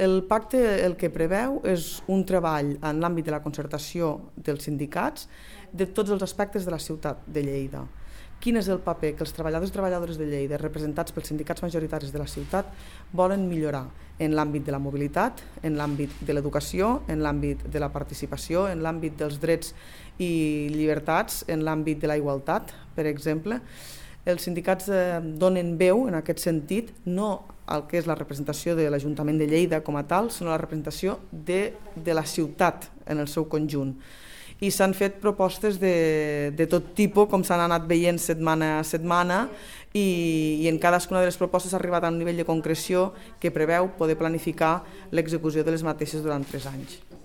El pacte el que preveu és un treball en l'àmbit de la concertació dels sindicats de tots els aspectes de la ciutat de Lleida. Quin és el paper que els treballadors i treballadores de Lleida, representats pels sindicats majoritaris de la ciutat, volen millorar en l'àmbit de la mobilitat, en l'àmbit de l'educació, en l'àmbit de la participació, en l'àmbit dels drets i llibertats, en l'àmbit de la igualtat, per exemple. Els sindicats donen veu en aquest sentit, no al que és la representació de l'Ajuntament de Lleida com a tal, sinó la representació de la ciutat en el seu conjunt. I s'han fet propostes de tot tipus, com s'han anat veient setmana a setmana, i en cadascuna de les propostes s'ha arribat a un nivell de concreció que preveu poder planificar l'execució de les mateixes durant 3 anys.